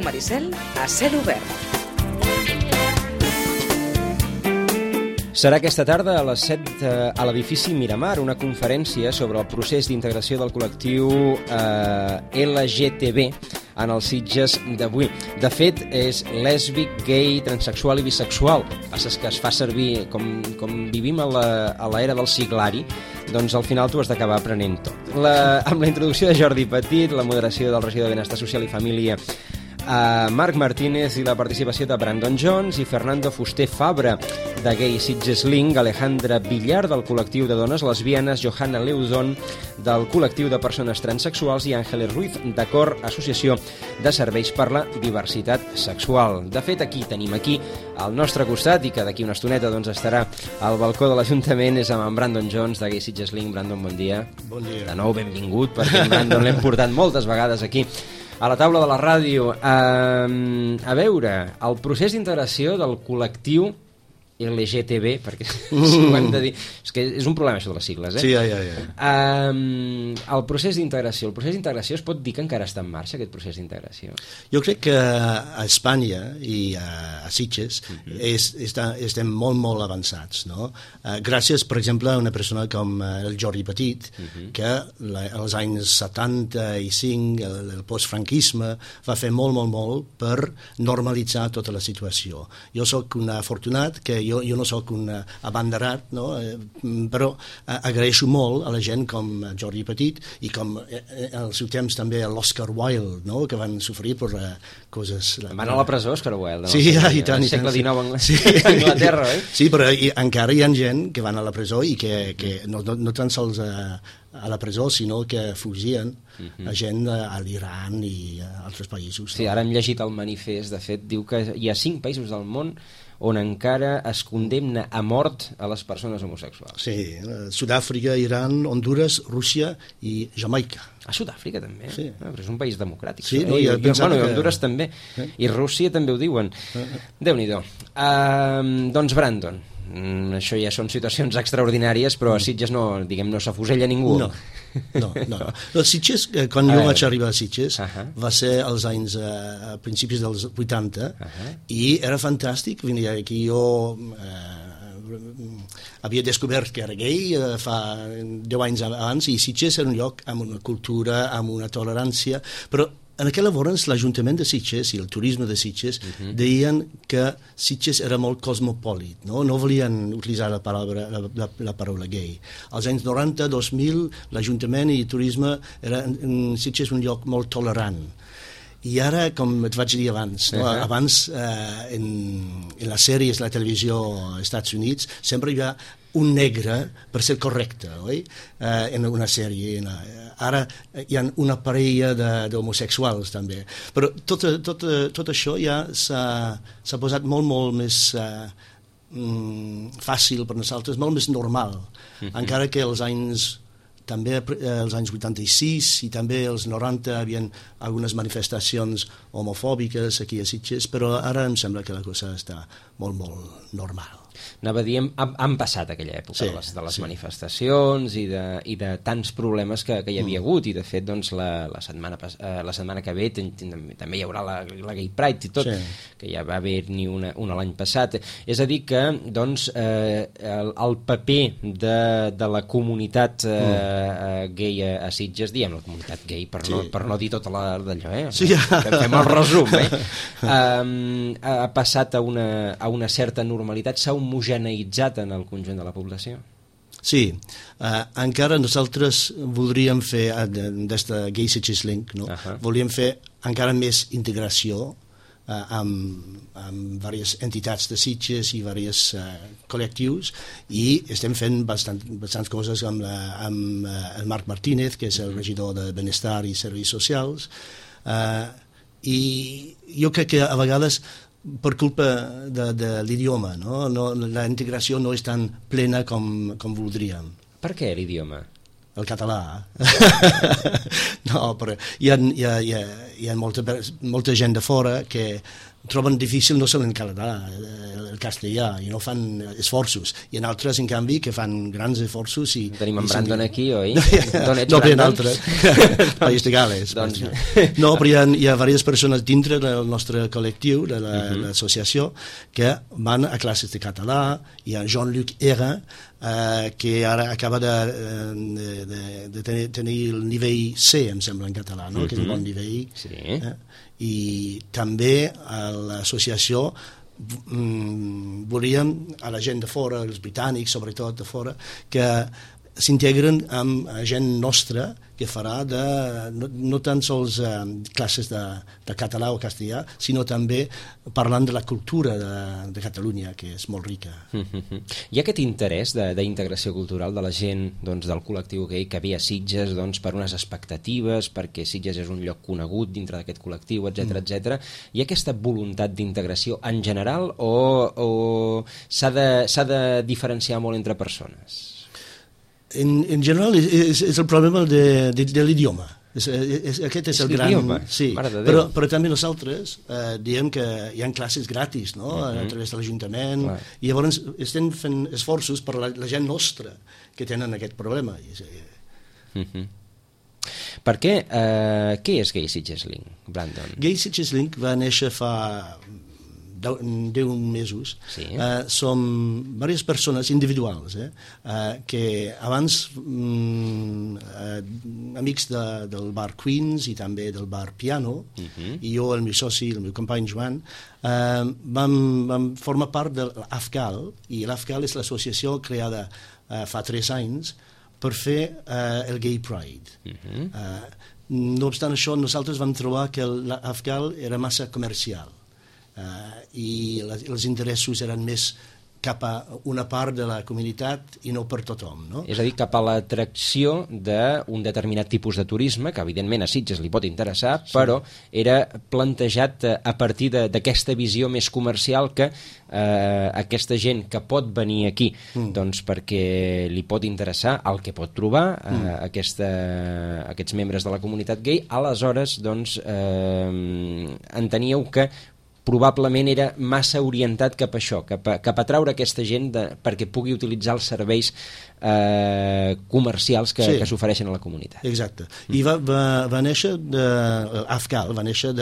Maricel a Cel Obert. Serà aquesta tarda a les 7 a l'edifici Miramar una conferència sobre el procés d'integració del col·lectiu LGTB en els Sitges d'avui. De fet, és lèsbic, gay, transexual i bisexual. El que passa és que es fa servir, com vivim a l'era del siglari, doncs al final tu has d'acabar aprenent tot. Amb la introducció de Jordi Petit, la moderació del regidor de Benestar Social i Família, Marc Martínez i la participació de Brandon Jones i Fernando Fuster Fabra de Gay Sitges Link, Alejandra Villar del col·lectiu de dones lesbianes, Johanna Leudon del col·lectiu de persones transexuals i Àngeles Ruiz de Cor, Associació de Serveis per la Diversitat Sexual. De fet, tenim al nostre costat, i que d'aquí una estoneta doncs, estarà al balcó de l'Ajuntament, és amb en Brandon Jones de Gay Sitges Link. Brandon, bon dia. Bon dia. De nou, benvingut, perquè en Brandon l'hem portat moltes vegades aquí a la taula de la ràdio. A veure, el procés d'integració del col·lectiu LGTB, perquè si ho hem de dir, és que és un problema això de les sigles, Sí, ja. El procés d'integració es pot dir que encara està en marxa, aquest procés d'integració? Jo crec que a Espanya i a Sitges estem molt avançats, no? Gràcies, per exemple, a una persona com el Jordi Petit, que als anys 75, el postfranquisme, va fer molt per normalitzar tota la situació. Jo sóc un afortunat que jo no sóc un abanderat, no? Però agraeixo molt a la gent com Jordi Petit i com al seu temps també l'Oscar Wilde, no? Que van sofrir per coses... Van a la presó, Oscar Wilde. Sí, i tant. Al segle XIX a Anglaterra, oi? Sí, però encara hi ha gent que van a la presó i que no tan sols a la presó, sinó que fugien a gent a l'Iran i a altres països. Sí, ara hem llegit el manifest, de fet, diu que hi ha 5 països del món on encara es condemna a mort a les persones homosexuals. Sí, Sud-àfrica, Iran, Honduras, Rússia i Jamaica. A Sud-àfrica també? Sí. Però és un país democràtic. Sí, I Honduras també. I Rússia també ho diuen. Déu-n'hi-do. Doncs Brandon, això ja són situacions extraordinàries, però a Sitges no s'afusella ningú. No. Sitges, quan jo vaig arribar a Sitges, va ser als anys a principis dels 80 i era fantàstic venir aquí. Jo havia descobert que era gay fa 10 anys abans i Sitges era un lloc amb una cultura, amb una tolerància, però en aquell llavors l'Ajuntament de Sitges i el turisme de Sitges deien que Sitges era molt cosmopolit, no volien utilitzar la paraula gay. Als anys 90-2000 l'Ajuntament i el turisme era en Sitges un lloc molt tolerant. I ara, com et vaig dir abans, abans en les sèries, la televisió als Estats Units, sempre hi ha un negre per ser correcte, oi? En una sèrie. Ara hi ha una parella d'homosexuals també. Però tot això ja s'ha posat molt més fàcil per nosaltres, molt més normal. Encara que els anys 86 i també els 90 hi havia algunes manifestacions homofòbiques aquí a Sitges, però ara em sembla que la cosa està molt normal. Anava a dir, han passat aquella època de les manifestacions i de tants problemes que hi havia hagut, i de fet doncs, la setmana que ve també hi haurà la Gay Pride i tot, que ja va haver-n'hi una l'any passat. És a dir que doncs, el paper de la comunitat gay a Sitges, diem la comunitat gay per no dir tota d'allò, que fem el resum, ha passat a una certa normalitat, s'ha homogeneïtzat en el conjunt de la població? Sí, encara nosaltres voldríem fer, des de Gay Sitges Link, volíem fer encara més integració amb diverses entitats de Sitges i diversos col·lectius, i estem fent bastants coses amb el Marc Martínez, que és el regidor de Benestar i Serveis Socials, i jo crec que a vegades per culpa de l'idioma, la integració no és tan plena com voldríem. Per què l'idioma? El català. No, però hi ha molta gent de fora que troben difícil no solen català, el castellà, i no fan esforços. I en altres, en canvi, que fan grans esforços. Tenim en Brandon aquí, oi? No, però en altres. País de Gales. No, però hi ha diverses persones dintre del nostre col·lectiu, de l'associació, que van a classes de català. Hi ha Jean-Luc Hera, que ara acaba de tenir el nivell C, em sembla, en català, no? Que és un bon nivell. Sí. I també a l'associació volíem a la gent de fora, els britànics sobretot de fora, que s'integren amb gent nostra que farà no tan sols classes de català o castellà, sinó també parlant de la cultura de Catalunya, que és molt rica. Hi ha aquest interès d'integració cultural de la gent del col·lectiu gay que ve a Sitges per unes expectatives, perquè Sitges és un lloc conegut dintre d'aquest col·lectiu, etc. Hi ha aquesta voluntat d'integració en general o s'ha de diferenciar molt entre persones? En general és el problema de l'idioma. Aquest és el gran... Sí, però també nosaltres diem que hi ha classes gratis, no? A través de l'Ajuntament, i llavors estem fent esforços per la gent nostra que tenen aquest problema. Per què? Què és Gay Sitges Link, Brandon? Gay Sitges Link va néixer fa 10 mesos. Som diverses persones individuals que abans amics del bar Queens i també del bar Piano, i jo, el meu soci, el meu company Joan, vam formar part de l'AFGAL, i l'AFGAL és l'associació creada fa 3 anys per fer el Gay Pride. No obstant això, nosaltres vam trobar que l'AFGAL era massa comercial, i els interessos eren més cap a una part de la comunitat i no per tothom, no? És a dir, cap a l'atracció d'un determinat tipus de turisme, que evidentment a Sitges li pot interessar, però era plantejat a partir d'aquesta visió més comercial que aquesta gent que pot venir aquí perquè li pot interessar el que pot trobar aquests membres de la comunitat gay, aleshores enteníeu que probablement era massa orientat cap a això, cap a atraure aquesta gent perquè pugui utilitzar els serveis comercials que s'ofereixen a la comunitat. Exacte. I va néixer l'AFGAL, va néixer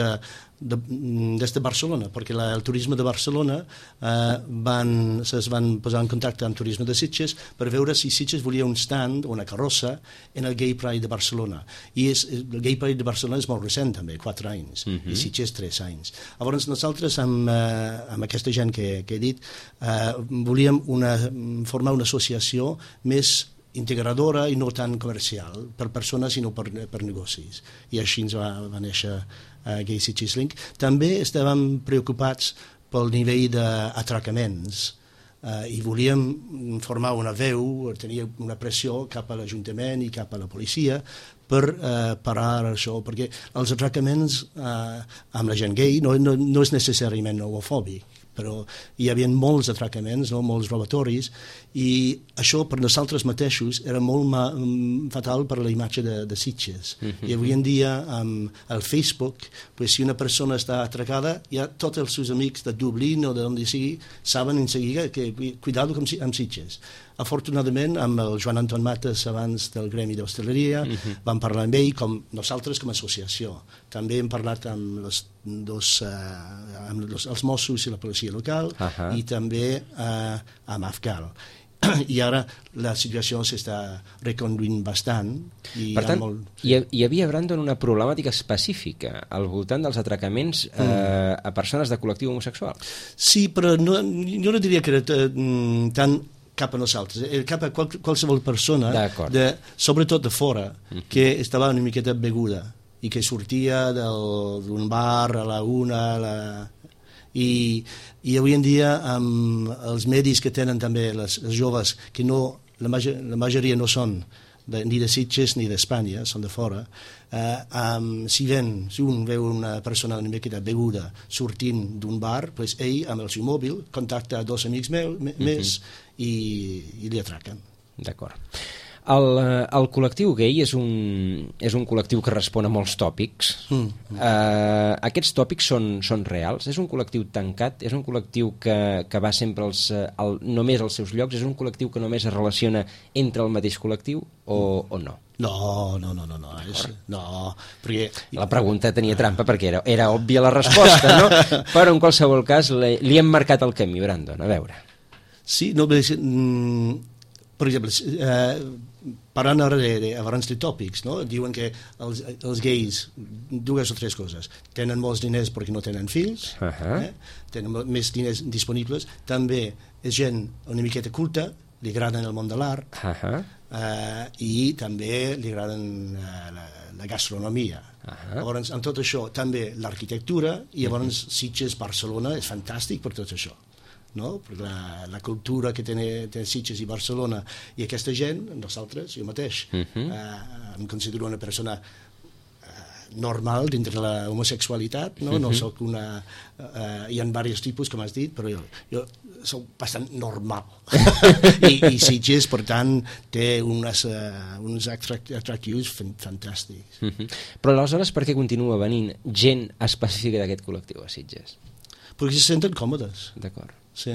des de Barcelona, perquè el turisme de Barcelona es van posar en contacte amb turisme de Sitges per veure si Sitges volia un stand o una carrossa en el Gay Pride de Barcelona. I el Gay Pride de Barcelona és molt recent també, 4 anys, i Sitges 3 anys. Llavors nosaltres amb aquesta gent que he dit volíem formar una associació més integradora i no tan comercial per persones sinó per negocis, i així ens va néixer Gay Sitges Link. També estàvem preocupats pel nivell d'atracaments i volíem formar una veu, tenir una pressió cap a l'Ajuntament i cap a la policia per parar això, perquè els atracaments amb la gent gay no és necessàriament homofòbic, però hi havia molts atracaments, molts robatoris, i això per nosaltres mateixos era molt fatal per la imatge de Sitges. I avui en dia amb el Facebook, si una persona està atracada, ja tots els seus amics de Dublín o d'on sigui saben en seguida que cuidado amb Sitges. Afortunadament, amb el Joan Anton Mates abans del Gremi d'Hostaleria, vam parlar amb ell, com nosaltres com a associació. També hem parlat amb els Mossos i la policia local i també amb AFGAL. I ara la situació s'està reconduint bastant. Per tant, hi havia, Brandon, una problemàtica específica al voltant dels atracaments a persones de col·lectiu homosexual. Sí, però jo no diria que era tan cap a nosaltres, cap a qualsevol persona, sobretot de fora, que estava una miqueta beguda i que sortia d'un bar a la una, i avui en dia amb els medis que tenen també els joves, que la majoria no són ni de Sitges ni d'Espanya, són de fora, si un veu una persona una miqueta beguda sortint d'un bar, ell amb el seu mòbil contacta 2 amics més i li atraquen. D'acord. El col·lectiu gay és un col·lectiu que respon a molts tòpics. Aquests tòpics són reals? És un col·lectiu tancat? És un col·lectiu que va sempre només als seus llocs? És un col·lectiu que només es relaciona entre el mateix col·lectiu o no? No, perquè... La pregunta tenia trampa perquè era òbvia la resposta, no? Però en qualsevol cas li hem marcat el camí, Brandon, a veure. Sí, no, per exemple, parlant ara abans de tòpics, no? Diuen que els gais, dues o tres coses, tenen molts diners perquè no tenen fills, tenen més diners disponibles, també és gent una miqueta culta, li agraden el món de l'art, i també li agraden la gastronomia. Llavors, amb tot això, també l'arquitectura, i llavors Sitges, Barcelona, és fantàstic per tot això. No? Perquè la cultura que té Sitges i Barcelona i aquesta gent, nosaltres, jo mateix, em considero una persona normal dintre la homosexualitat, no soc una... hi ha diversos tipus, com has dit, però jo soc bastant normal. I Sitges, per tant, té uns atractius fantàstics. Però aleshores per què continua venint gent específica d'aquest col·lectiu a Sitges? Perquè se senten còmodes. D'acord. Sí.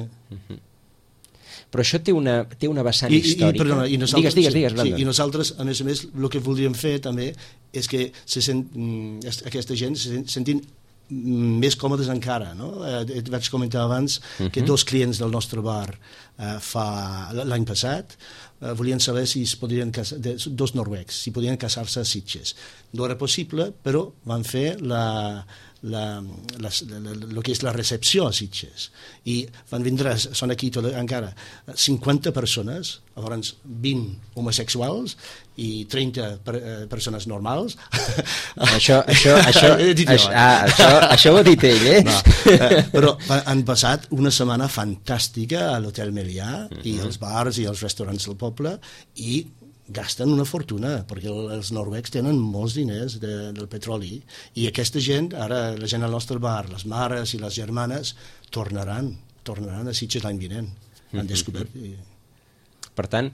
Però això té una vessant històrica. Perdona, digues, Brandon. I nosaltres, a més, el que voldríem fer també és que aquesta gent se sentin més còmodes encara, no? Vaig comentar abans que dos clients del nostre bar l'any passat volien saber si es podien casar, dos noruecs, si podien casar-se a Sitges. No era possible, però van fer el que és la recepció a Sitges, i van vindre, són aquí encara 50 persones, llavors 20 homosexuals i 30 persones normals. Això ho ha dit ell, eh? No, però han passat una setmana fantàstica a l'Hotel Melià i als bars i als restaurants del poble, i gasten una fortuna, perquè els noruecs tenen molts diners del petroli, i aquesta gent, ara la gent al nostre bar, les mares i les germanes, tornaran a Sitges l'any vinent. Han descobert... Per tant,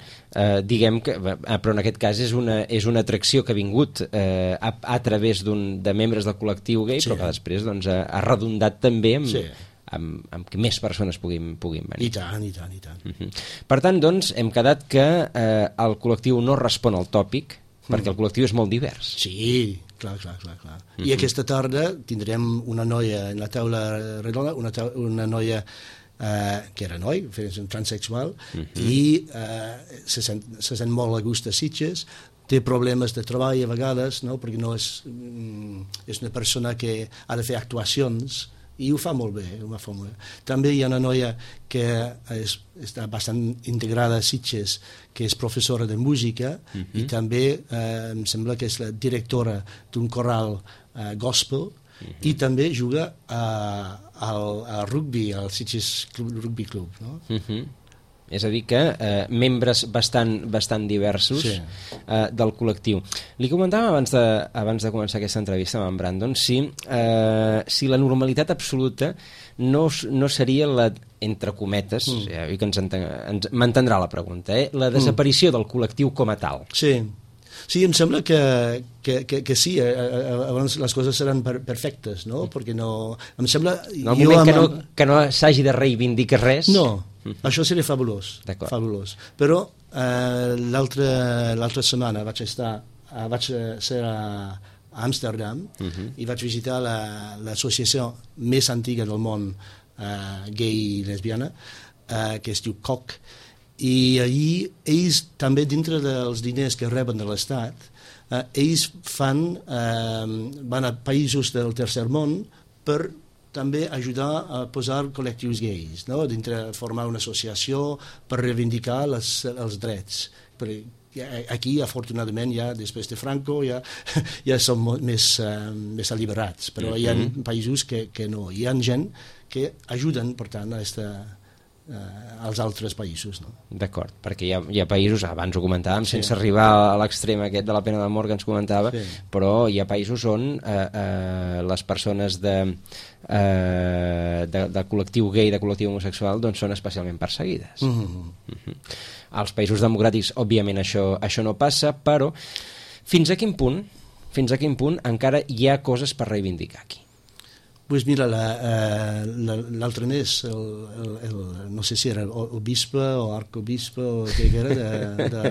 diguem que, però en aquest cas és una atracció que ha vingut a través de membres del col·lectiu gay, però que després ha redundat també amb que més persones puguin venir. I tant. Per tant, doncs, hem quedat que el col·lectiu no respon al tòpic, perquè el col·lectiu és molt divers. Sí, clar. I aquesta tarda tindrem una noia en la taula redona, una noia que era noi, és un transsexual, i se sent molt a gust a Sitges, té problemes de treball a vegades, no? Perquè no és una persona que ha de fer actuacions, i ho fa molt bé, També hi ha una noia que està bastant integrada a Sitges, que és professora de música, i també em sembla que és la directora d'un coral gospel, i també juga al rugby, al Sitges Rugby Club, no? És a dir que membres bastant diversos del col·lectiu. Li comentàvem abans de començar aquesta entrevista amb en Brandon si la normalitat absoluta no seria la, entre cometes, que m'entendrà la pregunta, la desaparició del col·lectiu com a tal. Sí, em sembla que sí, abans les coses seran perfectes, no? Perquè no... Em sembla... En el moment que no s'hagi de reivindicar res... No, això seria fabulós. Però l'altra setmana vaig ser a Amsterdam i vaig visitar l'associació més antiga del món gay i lesbiana, que es diu COC, i allí ells també, dintre dels diners que reben de l'Estat, ells van a països del tercer món per també ajudar a posar col·lectius gais, no? Dintre formar una associació per reivindicar els drets. Aquí, afortunadament, després de Franco ja som més alliberats, però hi ha països que no. Hi ha gent que ajuden, per tant, a als altres països, no? D'acord, perquè hi ha països, abans ho comentàvem, sense arribar a l'extrem aquest de la pena de mort que ens comentava, però hi ha països on les persones de col·lectiu gay, de col·lectiu homosexual, doncs són especialment perseguides. Als països democràtics, òbviament, això no passa, però fins a quin punt encara hi ha coses per reivindicar aquí? Pues mira, l'altre mes, no sé si era el bisbe o arcobisbe o què era,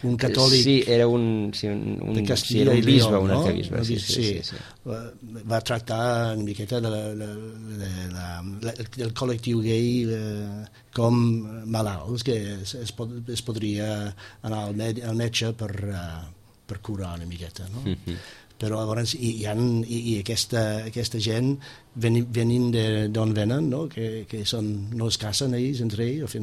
un catòlic... Sí, era un bisbe o un arcabisbe. Sí. Va tractar una miqueta del col·lectiu gay com malalts, que es podria anar al metge per curar una miqueta, no? Però llavors i aquesta gent venint d'on venen, no? Que no es casen ells entre ells,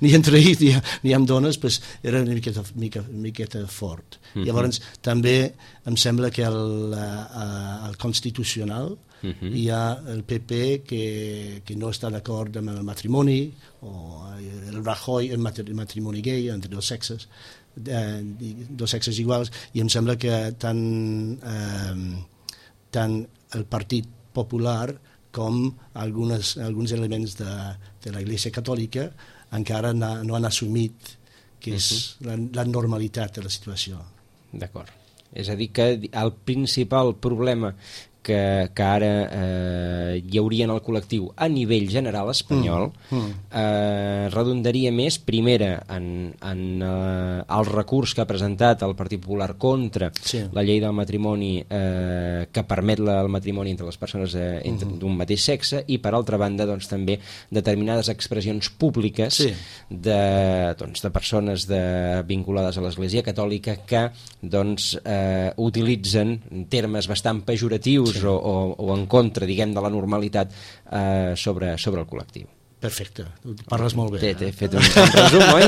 ni entre ells ni amb dones, pues era una miqueta fort. Llavors també em sembla que al Constitucional hi ha el PP que no està d'acord amb el matrimoni, o el Rajoy, el matrimoni gay entre dos sexes iguals, i em sembla que tant el Partit Popular com alguns elements de la Iglesia Catòlica encara no han assumit que és la normalitat de la situació. D'acord. És a dir, que el principal problema que ara hi hauria en el col·lectiu a nivell general espanyol redundaria més, primera, en el recurs que ha presentat el Partit Popular contra la llei del matrimoni que permet el matrimoni entre les persones d'un mateix sexe, i per altra banda doncs, també determinades expressions públiques de persones vinculades a l'Església Catòlica que doncs, utilitzen termes bastant pejoratius o en contra, diguem, de la normalitat sobre el col·lectiu. Perfecte, parles molt bé. T'he fet un resum, oi?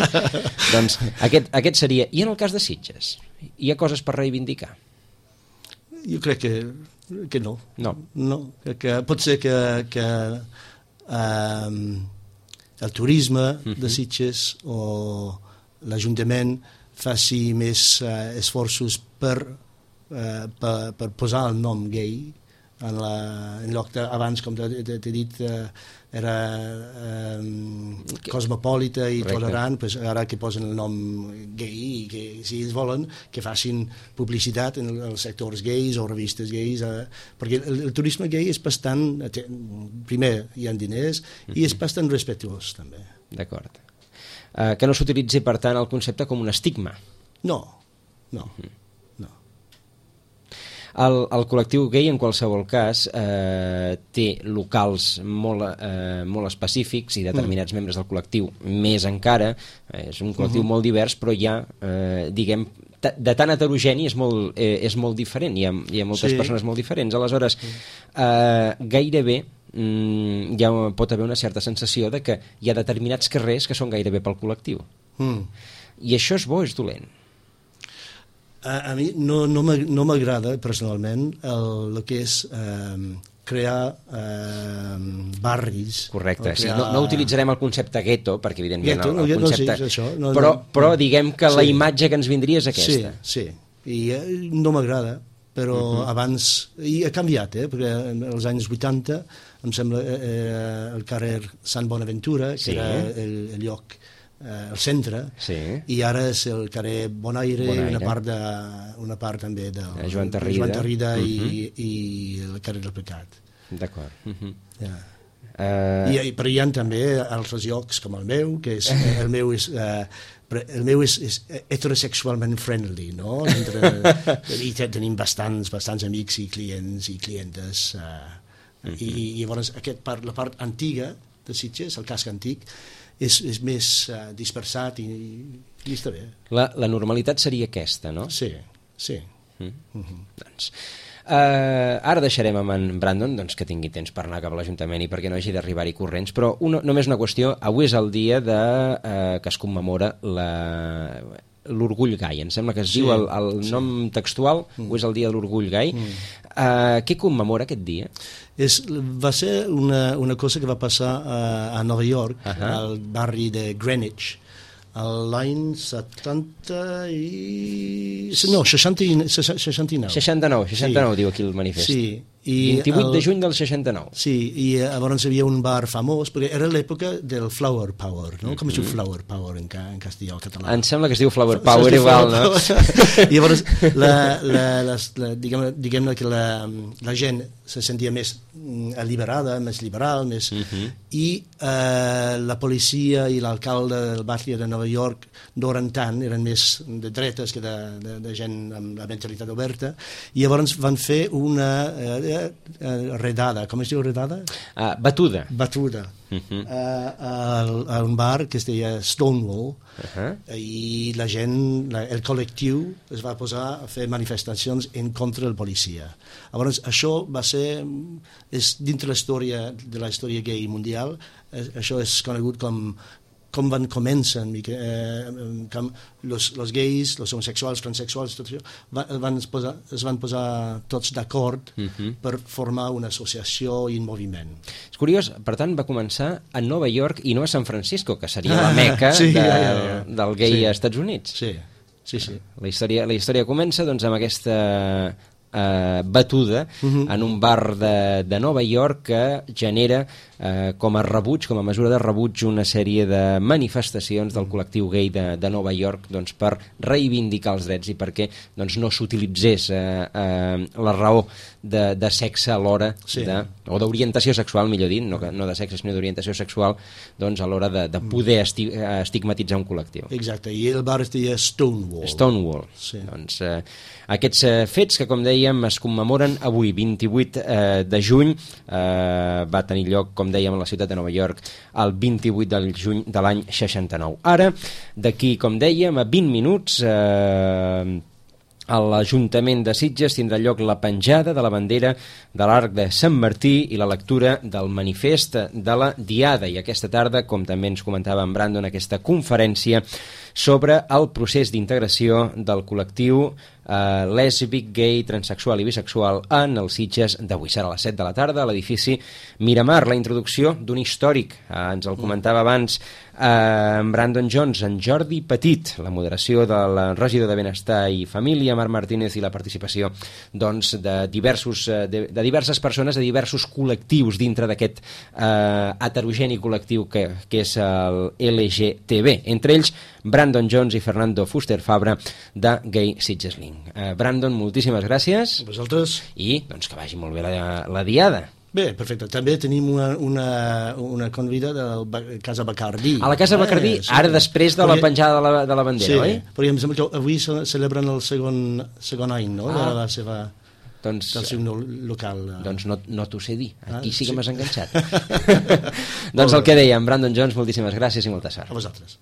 Doncs aquest seria. I en el cas de Sitges, hi ha coses per reivindicar? Jo crec que no. No. Que pot ser que el turisme de Sitges o l'Ajuntament faci més esforços per posar el nom gay en lloc abans, com t'he dit, era cosmopolita i tolerant, pues ara que posen el nom gay, i que si ells volen que facin publicitat en els sectors gais o revistes gais, perquè el turisme gay és bastant, primer hi ha diners i és bastant respectuós també. D'acord. Que no s'utilitzi per tant el concepte com un estigma? No. El col·lectiu gay, en qualsevol cas, té locals molt específics i determinats membres del col·lectiu més encara. És un col·lectiu molt divers, però hi ha, diguem, de tan heterogeni és molt diferent. Hi ha moltes persones molt diferents. Aleshores, gairebé ja pot haver una certa sensació de que hi ha determinats carrers que són gairebé pel col·lectiu. I això és bo o és dolent? A mi no m'agrada personalment el que és crear barris. Correcte, sí. No utilitzarem el concepte gueto, perquè evidentment el concepte... No, però diguem que la imatge que ens vindria és aquesta. Sí, i no m'agrada, però abans... I ha canviat, perquè als anys 80 em sembla el carrer Sant Bonaventura, que era el lloc, el centre, i ara és el carrer Bonaire. Una part també de Joan Tarrida i el carrer del Pecat. D'acord. Però hi ha també altres llocs com el meu, que el meu és heterosexualment friendly, no? I tenim bastants amics i clients i clientes, i llavors la part antiga de Sitges, el casc antic, és més dispersat i està bé. La normalitat seria aquesta, no? Sí. Doncs ara deixarem amb en Brandon que tingui temps per anar cap a l'Ajuntament i perquè no hagi d'arribar-hi corrents, però només una qüestió. Avui és el dia que es commemora l'orgull gai. Em sembla que es diu el nom textual, o és el dia de l'orgull gai. Què commemora aquest dia? Va ser una cosa que va passar a Nova York, al barri de Greenwich, l'any 69. 69, diu aquí el manifest. Sí. 28 de juny del 69. Sí, i llavors hi havia un bar famós, perquè era l'època del Flower Power, no? Com es diu Flower Power en castellà o català? Em sembla que es diu Flower Power igual, no? I llavors, diguem-ne que la gent se sentia més alliberada, més liberal, més... I la policia i l'alcalde del barri de Nova York no eren tant, eren més de dretes que de gent amb la mentalitat oberta, i llavors van fer una redada, com es diu redada? Batuda. A un bar que es deia Stonewall, i la gent, el col·lectiu es va posar a fer manifestacions en contra del policia. Llavors això va ser, dintre de la història gay mundial, això és conegut com van començar, com els gais, els homosexuals, transsexuals, tot això, es van posar tots d'acord per formar una associació i un moviment. És curiós, per tant, va començar a Nova York i no a San Francisco, que seria la meca del gay als Estats Units. Sí. La història comença doncs, amb aquesta batuda en un bar de Nova York que genera com a rebuig, com a mesura de rebuig, una sèrie de manifestacions del col·lectiu gay de Nova York doncs, per reivindicar els drets i perquè doncs, no s'utilitzés la raó de sexe a l'hora o d'orientació sexual, millor dit, no de sexe sinó d'orientació sexual, doncs, a l'hora de poder estigmatitzar un col·lectiu. Exacte, i el bar es deia Stonewall. Doncs, aquests fets que, com dèiem, es commemoren avui, 28 de juny, va tenir lloc, com dèiem, a la ciutat de Nova York el 28 de juny de l'any 69. Ara, d'aquí, com dèiem, a 20 minuts a l'Ajuntament de Sitges tindrà lloc la penjada de la bandera de l'Arc de Sant Martí i la lectura del manifest de la Diada, i aquesta tarda, com també ens comentava en Brandon, aquesta conferència sobre el procés d'integració del col·lectiu lèsbic, gay, transsexual i bisexual en els Sitges d'avui. Serà a les 7 de la tarda a l'edifici Miramar. La introducció d'un històric, ens el comentava abans en Brandon Jones, en Jordi Petit, la moderació del regidor de Benestar i Família, Marc Martínez, i la participació doncs, de diverses persones, de diversos col·lectius dintre d'aquest heterogeni col·lectiu que és el LGTB. Entre ells, Brandon Jones i Fernando Fuster Fabra de Gay Sitges Link. Brandon, moltíssimes gràcies. A vosaltres. I doncs, que vagi molt bé la diada. Bé, perfecte. També tenim una convida de la Casa Bacardí. A la Casa Bacardí, ara després de la penjada de la bandera, oi? Sí, perquè em sembla que avui celebren el segon any, no?, de la seva... del seu local. Doncs no t'ho sé dir. Aquí sí que m'has enganxat. Doncs el que deia, Brandon Jones, moltíssimes gràcies i molta sort. A vosaltres.